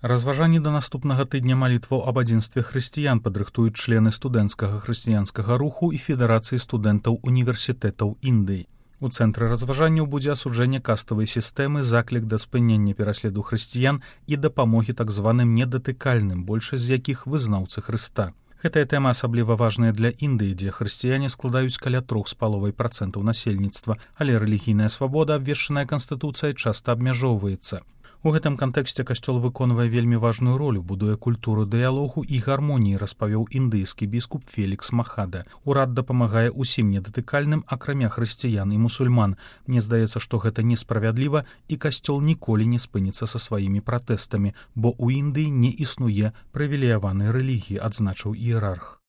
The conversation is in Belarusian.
Разважанні да наступнага тыдня малітваў аб адзінстве хрысціян падрыхтуюць члены студэнцкага хрысціянскага руху і Федэрацыі студэнтаў універсітэтаў Індыі. У цэнтры разважанняў будзе асуджэнне каставай сістэмы, заклік да спынення пераследу хрысціян і дапамогі так званым недатыкальным, большасць з якіх вызнаўцы Хрыста. Гэтая тэма асабліва важная для Індыі, дзе хрысціяне складаюць каля 3,5% насельніцтва, але рэлігійная свабода, абвешчаная канстытуцыяй, часта абмяжоўваецца. У гэтым кантэксце касцёл выконвае вельмі важную ролю, будуе культуру дыялогу і гармоніі, распавёў індыйскі біскуп Фелікс Махада. Урад дапамагае ўсім недатыкальным, акрамя хрысціян і мусульман. Мне здаецца, што гэта несправядліва, і касцёл ніколі не спыніцца са сваімі пратэстамі, бо ў Індыі не існуе прывілеяванай рэлігіі, адзначыў іерарх.